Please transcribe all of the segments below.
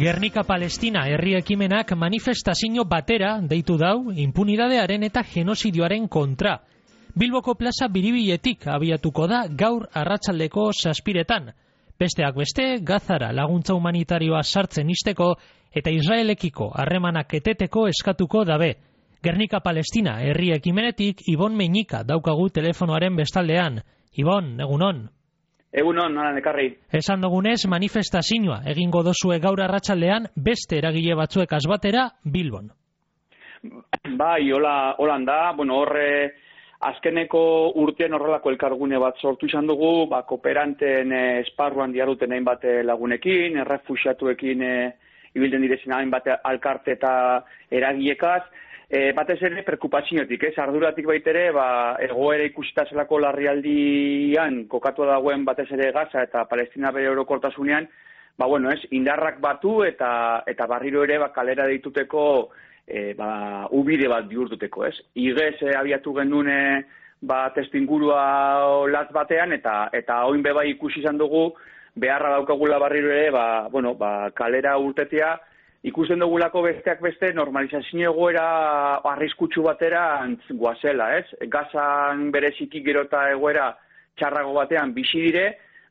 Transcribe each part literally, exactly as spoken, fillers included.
Gernika Palestina herri ekimenak manifestazio batera deitu dau impunidadearen eta genozidioaren kontra. Bilboko plaza Biribiletik abiatuko da gaur arratsaldeko zazpiretan. Besteak beste, Gazara laguntza humanitarioa sartzen isteko eta Israelekiko harremanak eteteko eskatuko dabe. Gernika Palestina herri ekimenetik Ibon Meñika daukagu telefonoaren bestaldean. Ibon, egunon. Egunon, nola nekarri. Esan dugunez, manifestazioa egingo dozue gaur arratsaldean beste eragile batzuek azbatera Bilbon. Bai, hola, holan da, bueno, horre azkeneko urtean horrelako elkargune bat sortu izan dugu, ba, kooperanten eh, esparruan diaruten hainbat lagunekin, errefuxiatuekin eh, ibilden direzen hainbat alkarte eta eragilekaz, E, batez ere, perkupazioetik, ez, arduratik baitere, ba, egoera ikusita zelako larrialdian kokatu dagoen batez ere Gaza eta Palestina bere orokortasunean, ba, bueno, ez, indarrak batu eta eta barriro ere, ba, kalera deituteko, e, ba, ubide bat bihurtuteko, ez. Igez, e, abiatu genuen, ba, testingurua latz batean, eta eta oin bebai ikusi izan dugu, beharra daukagula barriro ere, ba, bueno, ba, kalera urtetia, ikusten dugulako besteak beste normalizazio egoera arriskutsu batera goazela, ez? Gazan bereziki gero eta egoera txarrago batean bizi dire,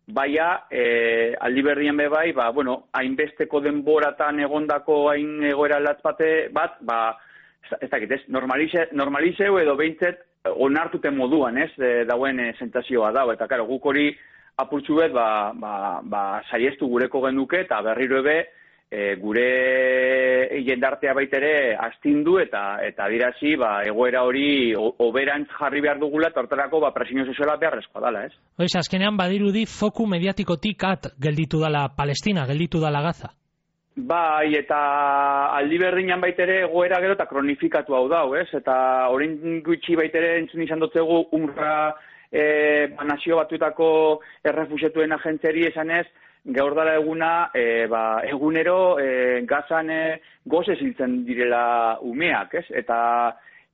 baina e, aldi berrien be bai, ba, bueno, hainbesteko denboratan egondako hain egoera latz bate bat, ba, ez dakit, ez? Normalize, normalizeu edo behintzet onartuten moduan, ez? E, dauen e, sentazioa dago, eta karo, guk hori apurtxu bet, ba, ba, ba, saiestu gureko genuke, eta berriro ebe, E, gure jendartea baitere astindu eta eta dirazi ba, egoera hori oberantz jarri behar dugula eta hortarako ba, presionio soziala beharrezkoa dala, ez? Oiz, azkenean badirudi foku mediatikotik at gelditu dala Palestina, gelditu dala Gaza. Bai, eta aldi berdinan baitere egoera gero eta kronifikatu hau dau, ez? Eta orain gutxi baitere entzun izan dutzegu UNRWA e, ba, nazio batuetako errefuxiatuen agentzeri esanez, gaur dala eguna, e, ba, egunero e, Gazan e, goze ziltzen direla umeak, ez? Eta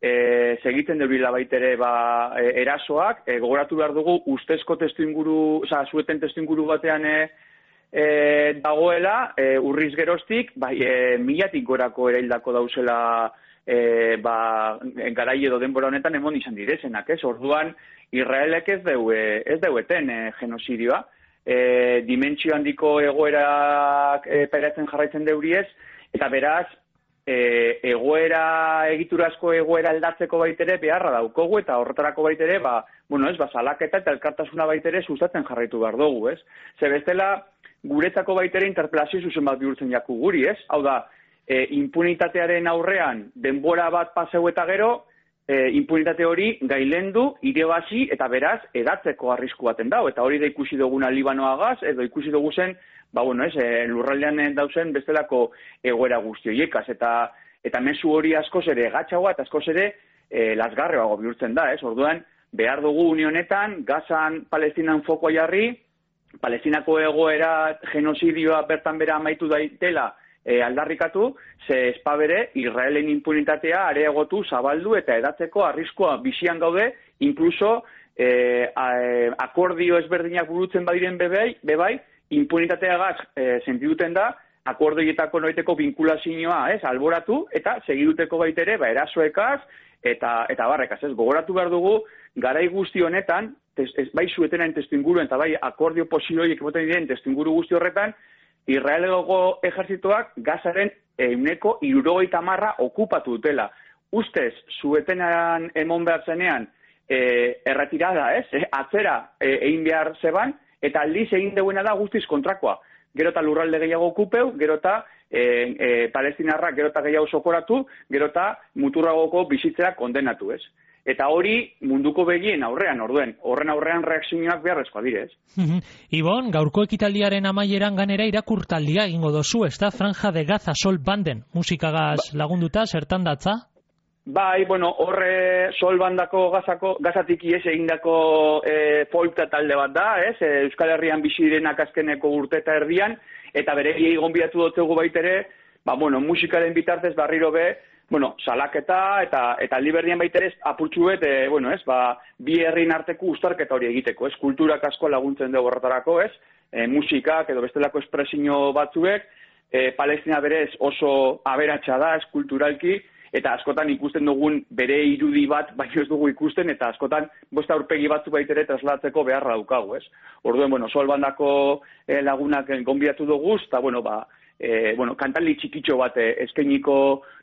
e, segitzen debila baitere ba, e, erasoak, e, gogoratu behar dugu ustezko testu inguru, oza, zueten testu inguru batean e, e, dagoela, e, urriz geroztik, bai, e, milatik gorako ere hildako dauzela e, ba, garai edo denbora honetan emon izan direzenak, ez? Orduan, Israelek ez deu, ez deueten e, genozidioa, E, dimentsio handiko egoerak e, pairatzen jarraitzen deuriez, eta beraz, e, egoera, egiturazko egoera aldatzeko baitere beharra daukogu, eta horretarako baitere, ba, bueno, ez, ba, salaketa eta elkartasuna baitere sustatzen jarraitu behar dugu, ez? Ze bestela, guretzako baitere interpelazio zuzen bat bihurtzen jaku guri, ez? Hau da, e, impunitatearen aurrean denbora bat paseu eta gero, E, impunitate hori gailendu, irebazi eta beraz edatzeko arrisku baten dau. Eta hori da ikusi duguna Libanoagaz, edo ikusi dugu zen, ba, bueno, ez, e, lurraldean dauzen bestelako egoera guztioiekaz. Eta, eta mezu hori askoz ere gatxagoa eta askoz ere e, lasgarreago bihurtzen da, ez? Orduan, behar dugu unionetan, Gazan, Palestinan fokoa jarri, Palestinako egoera genozidioa bertan bera amaitu daitela, E, aldarrikatu, ze espabere Israelen impunitatea areagotu, zabaldu eta edatzeko arriskoa bizian gaude, inkluso e, a, e, akordio ezberdinak burutzen badiren bebai, bebai impunitateagaz e, sentiduten da, akordioetako noiteko vinkulazioa, ez, alboratu, eta segiduteko baitere, ba, erasoekaz, eta, eta barrekaz, ez, gogoratu behar dugu, garai guzti honetan, tes, ez, bai zuetenaen testuinguruen, eta bai akordio posiloiek emoten diren testuinguru guzti horretan, Israelego ejerzitoak Gazaren euneko hirurogeita hamarra okupatu dutela. Ustez, zuetenan emon behar zenean, e, erretirada, ez? E, atzera e, egin behar zeban, eta aldiz egin deuena da guztiz kontrakoa. Gero eta lurralde gehiago okupeu, gero eta e, e, palestinarrak gero eta gehiago sokoratu, gero eta muturragoko bizitzera kondenatu, ez? Eta hori munduko begien aurrean, orduen, horren aurrean reakzioak beharrezkoa direz. Ibon, gaurko ekitaldiaren amaieran ganera irakurtaldia egingo dozu, ez da? Franja de Gaza Sol Banden, musikagaz ba, lagunduta, zertan datza? Bai, bueno, horre Sol Bandako Gazako, Gazatik ies egindako e, folkta talde bat da, ez? E, Euskal Herrian bizi direnak azkeneko urte eta erdian, eta bere gonbidatu dutegu baitere, ba, bueno, musikaren bitartez barriro be, bueno, salaketa eta eta liberdian baitere apurtxu bet, e, bueno, ez, ba, bi herrin arteko uztarketa hori egiteko, ez, kulturak asko laguntzen dugu horretarako, ez, e, musikak edo bestelako espresio batzuek, e, Palestina berez oso aberatsa da, eskulturalki, eta askotan ikusten dugun bere irudi bat, baino ez dugu ikusten, eta askotan bosta aurpegi batzu baitere traslatzeko beharra daukagu, ez? Orduen, bueno, Solbandako eh, lagunak gonbidatu dugu, eta, bueno, ba, eh, bueno, kantaldi txikitxo bat eh, eskainiko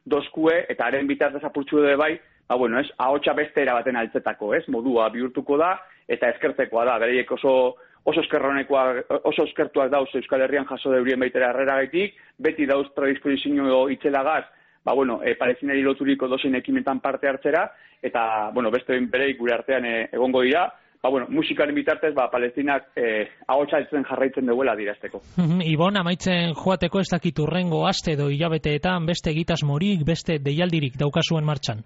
dozkue, eta haren bitartez apurtxu dut bai, ba, bueno, ez, ahotsa beste erabaten altzetako, ez? Modua bihurtuko da, eta eskertzekoa da, bereiek oso oso eskerronekoak, oso eskertuak dauz Euskal Herrian jaso deurien baitera harreragaitik, beti dauz predispozizio itzelagaz, ba, bueno, e, Palestinari loturiko dozein ekimetan parte hartzera, eta, bueno, beste bereik gure artean e, egongo dira, ba, bueno, musikaren bitartez, ba, Palestinak e, ahotsa etzen jarraitzen duela dirazteko. Ibon, amaitzen joateko ez dakit urrengo aste edo hilabeteetan beste egitasmorik, beste deialdirik daukazuen martxan?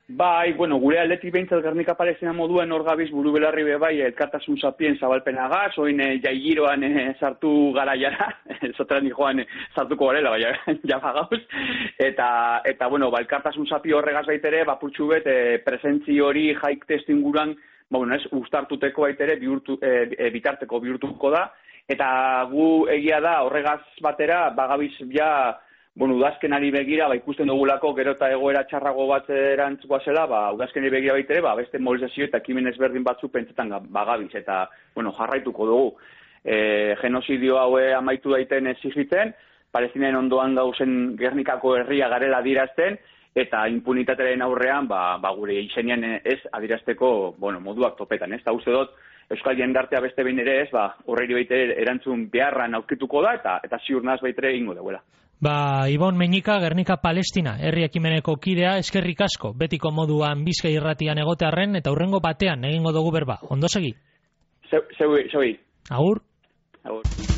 Bai, bueno, gure aldetik behintzat Gernika Palestina moduen hor gabiz buru belarri be bai, elkartasun sapien zabalpenagaz, oin e, jaigiroan e, sartu gara jara, zotran joan e, sartuko garela, bai, jama gauz, eta, eta bueno, ba, elkartasun sapi horregaz baitere, bapurtxu bet, e, presentzi hori jaik testu inguran, ba, bueno, ez, ustartuteko baitere, bihurtu, e, e, bitarteko bihurtuko da, eta gu egia da horregaz batera, bagabiz ja, bueno, udazkenari begira, ba, ikusten dugulako gero eta egoera txarrago bat erantzuko zela, ba, udazkenari begira baitere, ba, beste mobilizazio eta ekimen ezberdin batzu pentsetan bagabiz, eta, bueno, jarraituko dugu. E, genozidio haue amaitu daiten exigitzen, Palestinaen ondoan gauzen Gernikako herria garela adirazten, eta impunitatearen aurrean, ba, ba gure izenean ez adirazteko, bueno, moduak topetan, ez? Eta uste dut, Euskal jendartea beste behin ere ez, ba, horreri baitere erantzun beharran aurkituko da, eta, eta ziur naz baitere ingo deuela. Ba, Ibon Meñika, Gernika Palestina, herri ekimeneko kidea, eskerrik asko, betiko moduan Bizkai irratian egotearren, eta hurrengo batean egingo dugu berba. Ondo segi? Zeu, zeu, zeu. Agur? Agur.